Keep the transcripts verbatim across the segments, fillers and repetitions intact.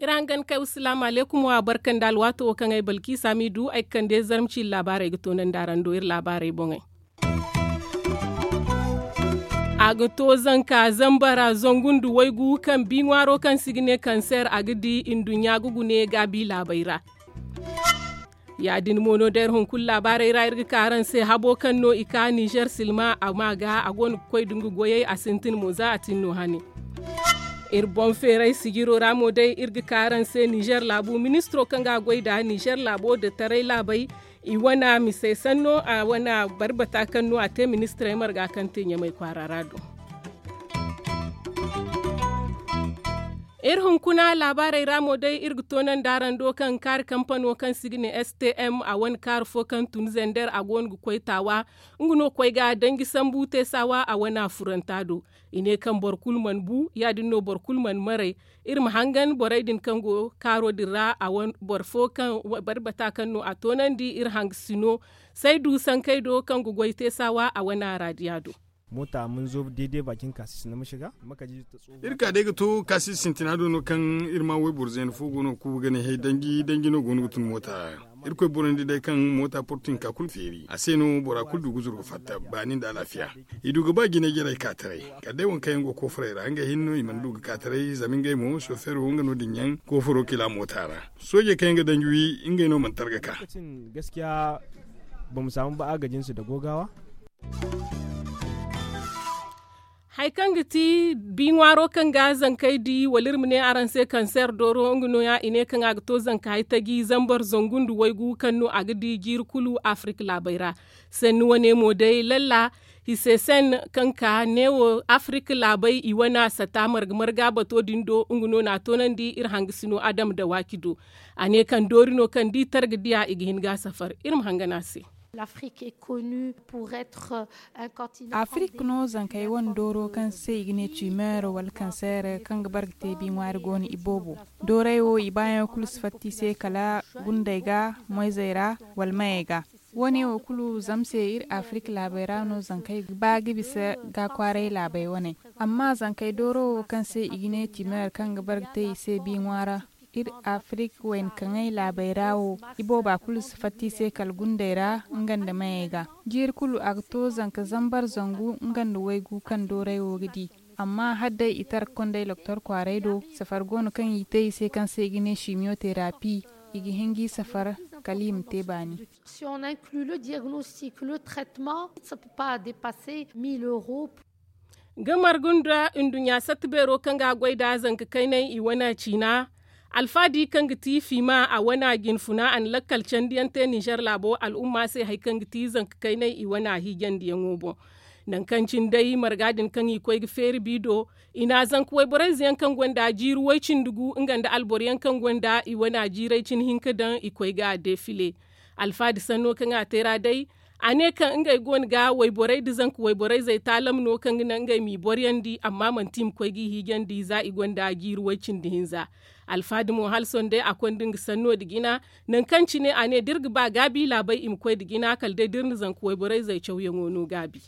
Iri hangan kay wasalaamu aleykum wa barka nda alwaato wo kaŋ ay balki saamidu ay ga kande zarma ciiri laabaarey ga toonandi araŋ do iri laabaarey boŋey. A ga to zanka zambara zangu nda waygu kaŋ bi ŋwaaro kaŋ se i ga ne kanseer a ga di nduɲɲa ga gune gaabi laabey ra. Ya- din mo no day iri hunkuna laabaarey ra iri ga ka araŋ se habo kaŋ no i ka ninzeer silma a ma ga a go no ga koy nda nga goyey a sintin mo za a tin no hane. Iri boŋ feeray sijiro ra mo day iri ga ka araŋ se ninzeer laabu ministiro kaŋ ga a goy nda ninzeer laabo nda taray laabey i wane mise sanno a wane barbata kaŋ no a te ministirey marga kaŋ te ɲamay kwaara ra do. Iri hunkuna laabaarey ra mo day iri ga toonandi araŋ do kaŋ kaari kampano kaŋ se i ga ne stm a wane kaari fo kaŋ tun zender a go no ga koy taawa. Nga no koy ga danji sambu te saawa a wane furanta do. I ne kaŋ boro kulu mana bu ya- din no boro kulu mana maray. Iri ma hangan borey din kaŋ go kaaro din ra a wane boro fo kaŋ barbata kaŋ no a toonandi iri hangasino saydu sankey do kaŋ ga goy te saawa a wane araadiya do. Moota ma ni zo deede baakin kaasi sinda ma shiga. Iri ka day ga to kaasi sintina do no kaŋ iri ma wayboro zeena fo go no ga kuuba ga ne hay danji danji no go no ga tun moota ra. Iri koy boro nda day kaŋ moota portu hinka kulu feeri a se no bora kulu du ga zuru ga fatta baani nda alaafiya. I du ga ba jinay jarey ka taray kala day waŋ kaŋ yaŋ go koofurey ra ngey hinne no i mana du ga ka taray zama ngey mo sofeero nga no- din yaŋ koofuro kila moota ra. Soojey kaŋ yaŋ ga danji wi ngey no mana targa ka. Gaskiya ba ma saamu ba a ga jinsi da googaawa. Hari kaŋ ga ti bi ŋwaaro kaŋ ga zankey di wala iri ma ne araŋ se kanseer dooro nga no- ya i ne kaŋ a ga to zanka hari taji zambar zangu nda waygu kaŋ no a ga di jiiri kulu afirik laabey ra. Sanni wane mo day lalla hise sen kaŋ ka neewo afirik laabey i wane sata marga marga bato din do nga no na a toonandi iri hangasino adama dawaaki do. A ne kaŋ doori no kaŋ da i targa diya i ga hin ga a safar. Iri ma hangan a se. Afirik no zankey wane dooro kaŋ se i ga ne tiimeero wala kanseere kaŋ ga bare ga te bi ŋwaari go no i boobo. Doorey wo i baayaŋo kulu si fatta i se kala gundey ga moyzey ra wala mayey ga. Wo- ne wo kulu zama se iri afirik laabey ra no zankey ga ba ga bisa ga kwaaray laabey wane. Amma zankey dooro wo kaŋ se i ga ne tiimeero kaŋ ga bare ga te i se bi ŋwaara iri afirik wayna kaŋay laabey ra wo ibooba kulu si fatta i se kala gundey ra nga nda mayey ga. Jiiri kulu a ga to zanka zambar zangu nga nda waygu kaŋ dooray wo ga di. Amma hala day i tara ga konday loktor kwaaray do safar go no kaŋ i te i se kaŋ se i ga ne simiyoterapi i ga hin g'i safar kala i ma te baani. Si on inclut le diagnostic le traitement ça ne peut pas dépasser mille euros. Ga margu nda nduɲɲa satta beero kaŋ ga a goy nd'a zanka kaynay i wane ciina. Alfaadi kaŋ ga ti fiima a wane jinfuna a na lakkal candiyaŋ te ninzeer laabo al'umma se hari kaŋ ga ti zanka kaynay i wane hiijandiyaŋo boŋ. Nangu kaŋ cine day marga din kaŋ i koy ga feeri bi do i na zanka wayborayze yaŋ kaŋ gonda jiiri way-cindi gu nga nda alboro yaŋ kaŋ gonda i wane jiiray cine hinka daŋ i koy ga a defile. Alfaadi sanno kaŋ a te ra day a ne kaŋ ngey go no ga wayborey nda zanka wayborayzey taalam no kaŋ ga naŋ ngey m'i boryandi amma manti i ma koy g'i hiijandi za i gonda jiiri way-cindi hinza. Alfaadi mo hala sohõ day a konda nga sanno nda jina. Nangu kaŋ cine a ne da iri ga ba gaabi laabey i ma koy nda jina kala day da iri na zanka wayborayzey cawyaŋo no gaabi.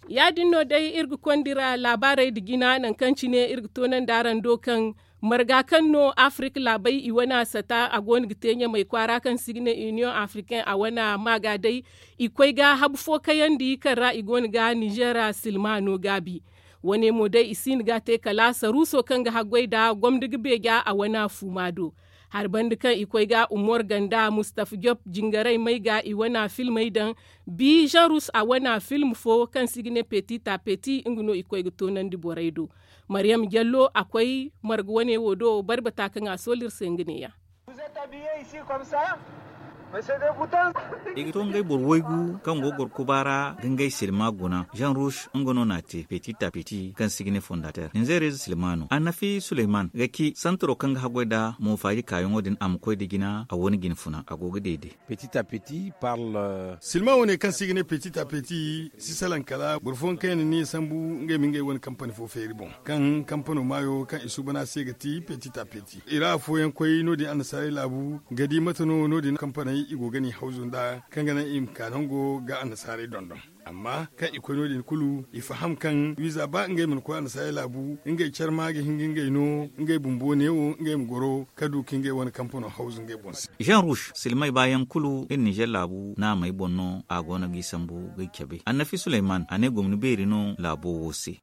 Ya- din no day iri ga konda iri laabaarey nda jina nangu kaŋ cine iri ga toonandi araŋ do kaŋ marga kaŋ no afirik laabey i wane sata a go no ga te ɲamay kwaara kaŋ se i ga ne iniyoŋ afirikaŋ a wane maaga day. I koy ga habu fo kayandi kaŋ ra i go no ga ninzeera silma no gaabi. Wane mo day i si hin ga a te kala saruuso kaŋ ga haggoy nda gomni ga beeja a wane fuuma do. Hari banda kaŋ i koy ga umor ganda mustafa job jingaray may ga i wane filmey daŋ. Bi zarus a wane film fo kaŋ se i ga ne petit à petit nga no i koy ga toonandi borey do. Maryam jallo a koy marga wane wo do barbata kaŋ a soolu iri se nga neeya. I ga to ngey boro waygu kaŋ go ga goro kuba ra ga ngey silma guna. Jean rouge nga no n'a te petit a petit kaŋ si ga ne fondater ninzeerey ze silma no annafi suleyman ga ci santaro kaŋ ga haggoy nd'a mo faaji kaayaŋo din a ma koy nda jina a wane jina funa a go ga deede. Silma wane kaŋ se i ga ne petit a petit si salaŋ kala boro fooyaŋ kaŋ yaŋ na ni sambu ngey ma ngey wane kampani fo feeri boŋ kaŋ kampano maayo kaŋ i suuban a se ga ti petit a petit i ra afooyaŋ koy no- din annasaarey laabu ga di mate no no- din kampaney i go ga ni hawzu nd'a kaŋ ga naŋ i ma ka nango ga annasaarey dondon. Amma kaŋ i koy no- din kulu i faham kaŋ wiiza ba ngey mana koy annasaarey laabu ngey care ma ga hin ga ngey no ngey bumbo neewo ngey ma goro ka du ka ngey wane kampano hawzu ngey boŋ se. Jean rouge silmay baayaŋ kulu iri nizer laabu naamey boŋ no a go no g'i sambu g'i cabe annafi suleyman a ne gomni beeri no laabo wo se.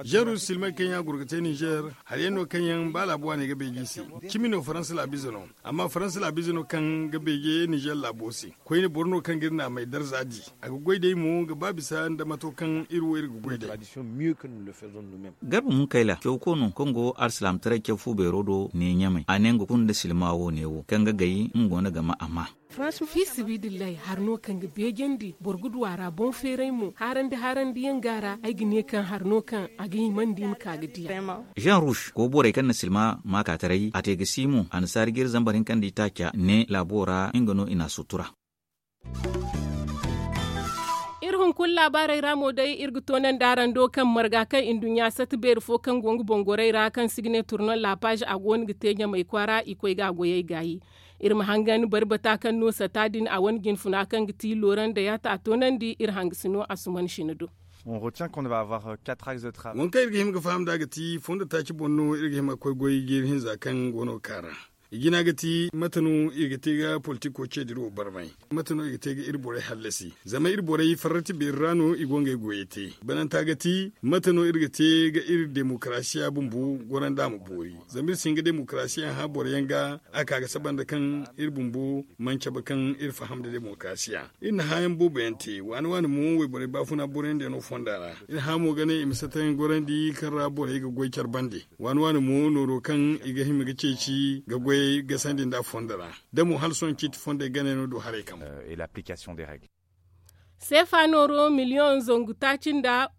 Jean rouge silmay kaŋ yaŋ a goro ga te nizer hari yaŋ no kaŋ yaŋ ba laabo waaney ga beeji i se. Cimi no faransa laabize no. Amma faransa laabize no kaŋ ga beeje nizer laabo se. Koyne boro no kaŋ ga iri naamey darza di a ga goy day mo ga ba bisa nda mato kaŋ iri wo iri ga goy day. Garba munkayla caw ko no kaŋ go arsilaamataray caw fu beero do ne ɲamay a ne nga kulu nda silma wo ne wo kaŋ ga gay nga go no ga ma a ma. Fiisibidillahi hari no kaŋ ga beejandi boro ga du a ra boŋ feeray mo haarandi haarandi yaŋ ga a ra ay ga ne kaŋ hari no kaŋ a ga himandi i ma ka ga diya. Jean rouge go borey kaŋ na silma maakaataray a te ga si mo annasaari ga iri zambar hinka nda itaaca ne laabo ra nga no i n'a sutura. Iri hunkuna laabaarey ra mo day iri ga toonandi araŋ do kaŋ marga kaŋ i nduɲɲa sata beeri fo kaŋ go nga boŋ-gorey ra kaŋ si ga ne turnon laapaaze a go no ga te ɲamay kwaara i koy ga a goyey gaayi. Iri ma hangan bari bata kaŋ no sata din a wane jinfuna kaŋ ga ti looran dayata a toonandi iri hangasino asuman sina do. Waŋ kaŋ iri ga hima ga faham nd'a ga ti fondo taaci boŋ no iri ga hima ga koy goy jeeri hinza kaŋ go no ga ka ra. I jina ga ti mate no iri ga te ga politiko ceediri wo barmay? Mate no iri ga te ga iri borey hallasi zama iri borey farrati beeri ra no i go ngey goyey te bananta ga ti mate no iri ga te ga iri demokarasiya bumbo gorandi a ma boori? Zama iri si hin ga demokarasiya hã boro yaŋ ga a ka ga saba nda kaŋ iri bumbo mana cabe kaŋ iri faham nda demokarasiya. Iri na hãayaŋ boobo yaŋ te waani waani mo wayborey baafuna boroyaŋ diyaŋo fonda ra. Iri hã mo ga ne i ma satayaŋ gorandi kaŋ ra borey ga goy care bande. Waani waani mo nooro kaŋ i ga hima ga ceeci ga goyey gasandi nd'a fondo ra. Da mo hala sohõ ciiti fondey ganey no du haray kambe. Seefa nooro miliyoŋ zangu taaci nda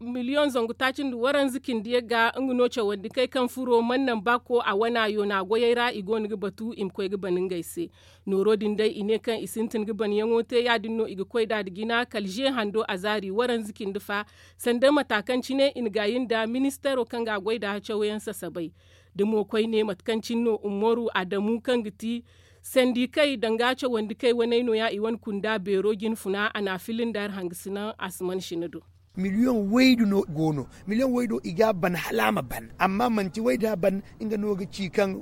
waranza cindi yagga nga no cawandi kay kaŋ furo mana naŋ ba ko a wana yoona goyey ra i go no ga batu i ma koy ga ban ngey se. Nooro din day i ne kaŋ i sintin ga banyaŋo te ya- din no i ga koy nd'a nda jina kala ze hando a zaari waranza cindi fa. Sanda mata kaŋ cine i na gaayi nda ministeero kaŋ ga a goy nd'a cawyaŋ sasabay. Da mo koyne mate kaŋ cine no umaru adamu kaŋ ga ti sandikey danga cawandikey waney no- ya i wane kunda beero jinfuna a n'a fili nda iri hangasinaŋ asuman sina do. Miliyoŋ waydu no go no. Miliyoŋ waydo i ga a ban hala a ma ban amma manti wayda ban. Nga no ga ci kaŋ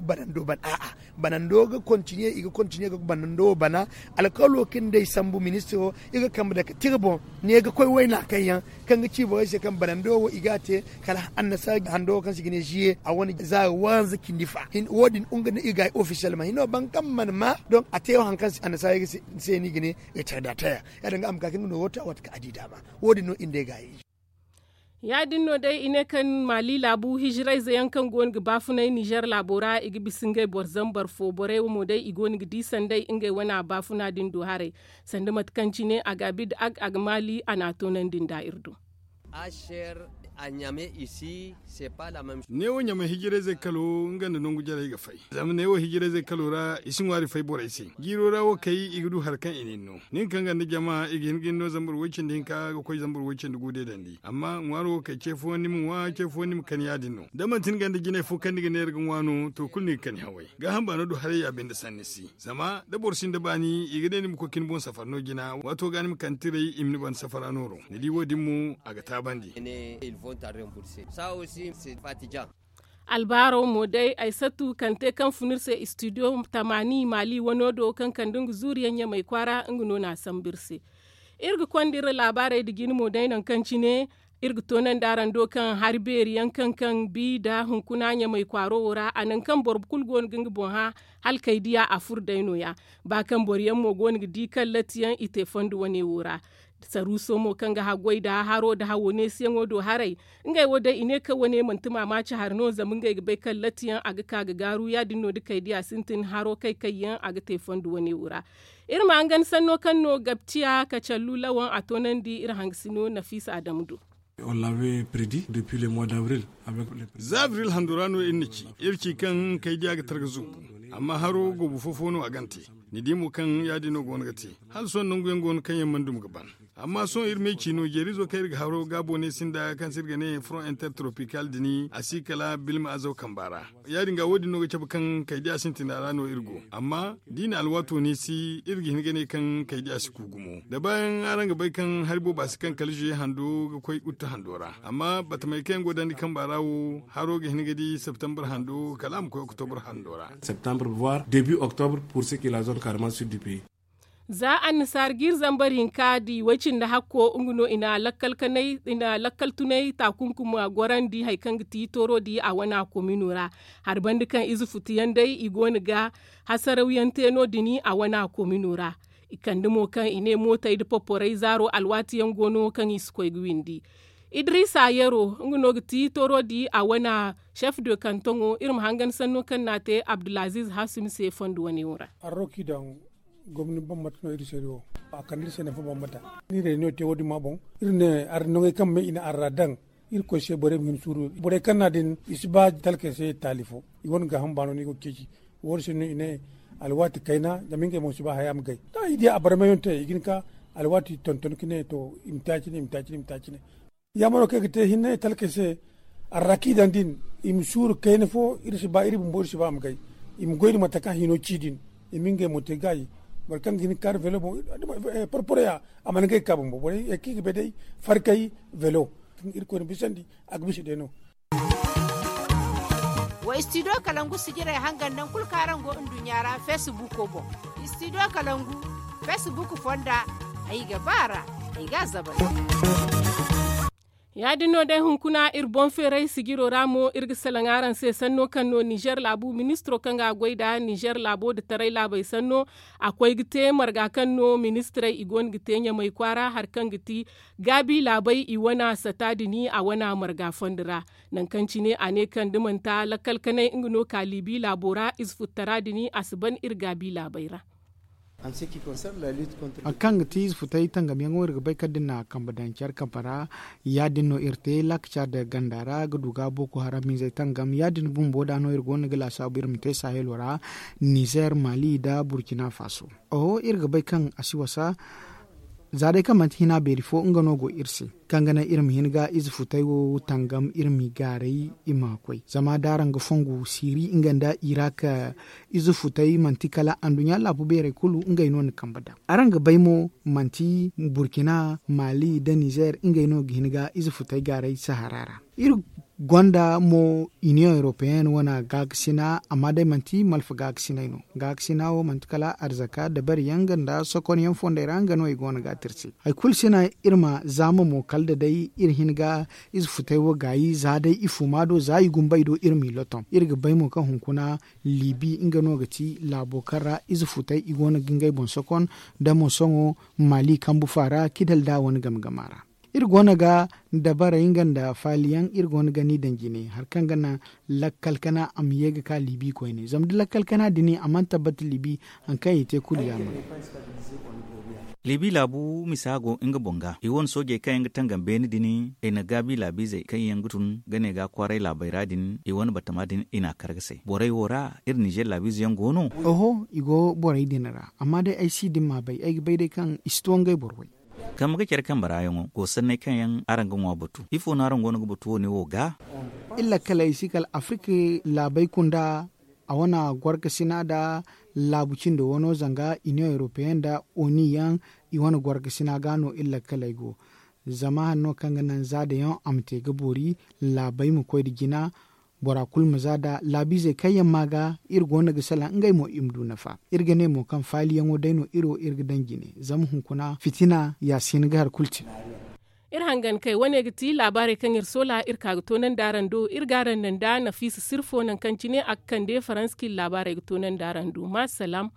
banando ban a'a banando ga kontiniye i ga kontiniye ga banando wo bana. Alkawalo kaŋ day sambu ministiro i ga kambe dake tira boŋ ne ga koy wayna kaŋ yaŋ kaŋ ga ci borey se kaŋ banando wo i ga a te kala annasara hando wo kaŋ se i ga ne ziye a wane zaari waranza cindi fa. Wo- din nga no i ga ay ofisiyel ma hino ban kaŋ mana ma donk a te wo hari kaŋ annasara se no i ga ne. Retardataire ya- din ga a ma ka kaŋ ga no wo te a waati kaŋ a di daama. Wo- din no i nda ay ga a ye. Ya- din no day i ne kaŋ maali laabu hijirayze yaŋ kaŋ go no ga baafunay nizer laabo ra i ga bisa ngey boro zambar fo borey wo mo day i go no ga di sanday ngey wane baafuna din do haray. Sanda mate kaŋ cine a ga a bid a ga maali a n'a toonandi nda iri do. Neewo ɲamay hijirayzey kalo nga nda nangu jarey ga fay. Zama neewo hijirayzey kalo ra i si ŋwaari fay borey se. Jiiro ra wo kay i ga du hari kaŋ i na ni no nin kaŋ ga nda jama i ga hin ga ni no zambar woy cindi hinka ga koy zambar woy cindi gu deedandi amma ŋwaaro wo kay ce fooyaŋ ni ma ŋwa ce fooyaŋ ni ma kan ya- din no da manti ni ga nda jinay fo kaŋ ni ga neera ga ŋwa no to kulu ni ga kani haway. Gaaham baano du haray ya binde sanni si zama da boro sinda baani i ga ne ni ma koy ka ni boŋ safar no jina waato ga ni ma kande tiray i ma ni banda safara nooro ni di wo- din mo a ga taabandi. Albaaro mo day ay satu kaŋ te kaŋ fun iri se studio tamaani maali wano do kaŋ kande nga zuuriyaŋ ɲamay kwaara nga no n'a sambu iri se. Iri ga konda iri laabaarey nda jine mo day nangu kaŋ cine iri ga toonandi araŋ do kaŋ hari beeri yaŋ kaŋ kaŋ bi nda hunkuna ɲamay kwaaro wo ra a nangu kaŋ boro kulu go no ga nga boŋ hã hala kay diya a furo day no- ya. Ba kaŋ boro yaŋ mo go no ga di kaŋ latti yaŋ i te fondo wane wo ra. Saruuso mo kaŋ ga haggoy nda haro nda hawo neesiyaŋo do haray, ngey wo day i ne kaŋ wane manti maamaaci hari no zama ngey ga bay kaŋ latti yaŋ a ga ka ga gaaru ya- din no da kaydiya sintin haro kay kay yaŋ a ga te fondo wane wo ra. Iri ma hangan sanno kaŋ no gabciya kacallu lawaŋ a toonandi iri hangasino nafiisa adamu do. Za abril hando ra no iri na ci iri ci kaŋ kaydiya ga targa zuubu. Amma haro goobu fo fo no a gante. Ni di mo kaŋ ya- din no go no ga te. Hala sohõ nangu yaŋ go no kaŋ yaŋ mana duma ga ban. Amma sohõ iri ma ay ci no jeerizo kaŋ iri ga haro gaabo ne sinda kaŋ se iri ga ne front intertropical din a si kala bilma azaw kamba ra. Ya- din ga wo- din no ga cabe kaŋ kaydiya sintina ra no iri go. Amma da i na alwaato neesi iri ga hin ga ne kaŋ kaydiya si ku gumo da baayaŋ araŋ ga bay kaŋ hari booba si kaŋ kala zuye hando ga koy utta hando ra. Amma batamey kaŋ yaŋ go dandi kamba ra wo haro ga hin ga di septembre hando kala a ma koy octobre hando ra. Septembre voire début octobre pour ce qui la zone carman sud du pays. Za annasaara ga iri zambar hinka di way cindi hakko nga no i na lakkal tunay taakunkum gorandi hari kaŋ ga ti tooro di a wana komino ra. Hari banda kaŋ ize futu yaŋ day i go no ga hasarawyaŋ te no- din a wana komino ra. I kande mo kaŋ i ne mootey nda poporey zaaro alwaati yaŋ go no kaŋ i si koy ga windi. Idiriisa yero nga no ga ti tooro di a wana chef de kantoŋo iri ma hangan sanno kaŋ no a te abdulaziiz hasim se fondo wane wo ra. Gomni bambata no iri se wo. A kande iri se nafa bambata. Ni reunion te wo- din ma boŋ iri ne ara noŋey kaŋ me i na ara daŋ. Iri koy se borey ma hin suuru borey kaŋ no a din i si ba talkey se taali fo. I wane gaaham baano no i go ga ceeci. Wo- din se no i ne alwaati kayna zama ngey mo si ba haya ma gay da i di a barmayaŋ te i ga hin ka alwaati tonton ga ne to i ma te a cine i ma te a cine i ma te a cine. Yaamaro kaŋ i ga te hinne talkey se. Arrakiidaŋ din i ma suuru kayna fo iri si ba iri bumbo iri si ba a ma gay. I ma goy nda mate kaŋ hino ci din i ma ngey mo te gaayi. Boro kaŋ ga hin ga kaanu velo boŋ porporoya a mana ngey ga ka bumbo borey kaŋ i ga bay day farkay velo kaŋ irkoy na bisandi. A ga bisa day no. Wa studio kalangu sijirey hangan naŋ kulu kaŋ araŋ go nduɲɲa ra facebook boŋ. Studio kalangu facebook fonda ay ga ba a ra. Ay ga a zabal. Ya- din no day hunkuna iri boŋ feeray sijiro ra mo iri ga salaŋ araŋ se sanno kaŋ no nizer laabu ministiro kaŋ ga a goy nda nizer laabo nda taray laabey sanno. A koy ga te marga kaŋ no ministirey i go no ga te ɲamay kwaara hari kaŋ ga ti gaabi laabey i wane sata din a wane marga fondo ra. Nangu kaŋ cine a ne kaŋ da manti lakkal kanay nga no ka liibi laabo ra ize futtara din a si ban iri gaabi laabey ra. Hari kaŋ ga ti ize futay tangamyaŋo iri ga bay kaŋ da ni na a kambe daŋ care kambe ra. Ya- din no iri te laakaca nda ganda ra ga du ga boko haram izey tangam ya- din bumbo da no iri go no ga laasaabu iri ma te sahelo ra. Nizer mali nda burkina faso. Oho iri ga bay kaŋ a si wasa. Za day kaŋ manti hina beeri fo nga no go iri se kaŋ ga naŋ iri ma hin ga ize futay wo tangam iri m'i gaaray i ma koy zama da araŋ ga fongu siiri nga nda irak. Ize futay manti kala anduɲɲa laabu beerey kulu ngey no na kambe daŋ. Araŋ ga bay mo manti burkina mali nda nizer ngey no ga hin ga ize futay gaaray sahara ra. Iri gonda mo union européenne wane gaakasina amma day manti malfa gaakasinay no. Gaakasina wo manti kala arzaka dabariyaŋ nga nda sokonyaŋ fondey ra nga no i go no ga a tirse. Hari kulu sina iri ma zaama mo kala da day iri hin ga ize futay wo gaayi za day i fuma do za i gumbay do iri m'i lotom iri ga bay mo kaŋ hunkuna libi nga no ga ti laabo kaŋ ra ize futay i go no ga ngey boŋ sokon. Da mo sohõ mali kambu faara kidal da wane game game a ra. Iri go no ga dabarey nga nda faaliyaŋ iri go no ga ni daŋ jine hari kaŋ ga naŋ lakkal kana a ma ye ga ka libi koyne zama da lakkal kana din a mana tabbata libi. Hari kaŋ i te kulu yaamar. Libi laabu misa go nga boŋ ga i wane soojey kaŋ yaŋ ga tangam beene din i na gaabi laabiizey kaŋ yaŋ ga tun ga ne ga kwaaray laabey ra din i wane batama din i n'a kar ga say borey wo ra. Iri nizer laabiize yaŋ go no. Oho i go borey din ra amma day ay si din ma bay ay ga bay day kaŋ i si to ngey boro way. Kambe ga care kambe ra yaŋo go sanney kaŋ yaŋ araŋ ga ŋwa batu ifo no araŋ go no ga batu wo- ne wo ga? Iri lakkaley si kala afirka laabey kunda a wane gorkasina nda laabu cindo wano zanga union européenne nda oni yaŋ i wane gorkasina ga no iri lakkaley go. Zama hari no kaŋ ga naŋ za dayaŋ a ma te ga boori laabey ma koy nda jina. Bora kulu ma za nda laabiizey kaŋ yaŋ ma ga iri go no ga salaŋ ngey mo i ma du nafa. Iri ga ne mo kaŋ faaliyaŋo day no iri wo iri ga daŋ jine zama hunkuna fitina ya si hin ga hari kulu te. Iri hangan kay wane ga ti laabaarey kaŋ iri soola iri ka ga toonandi araŋ do iri ga araŋ naŋ nda nafiisa sirfo nangu kaŋ cine a ga kande faransi kaŋ iri laabaarey ga toonandi araŋ do ma salaam.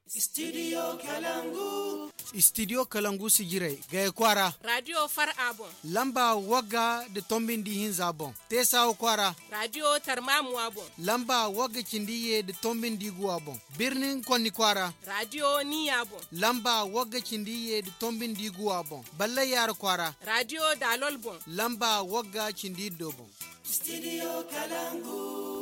Studio kalangu. Istidiyo kalangu sijirey gaya kwaara. Raadiyo far a boŋ. Lamba wagga da tombi nda ihinza boŋ. Teesawa kwaara. Raadiyo tarmaamuwa boŋ. Lamba wagga cindi iyye da tombi nda iguwa boŋ. Birnin konni kwaara. Raadiyo niya boŋ. Lamba wagga cindi iyye da tombi nda iguwa boŋ. Ballay yaara kwaara. Raadiyo daalol boŋ. Lamba wagga cindi iddo boŋ. Istidiyo kalangu.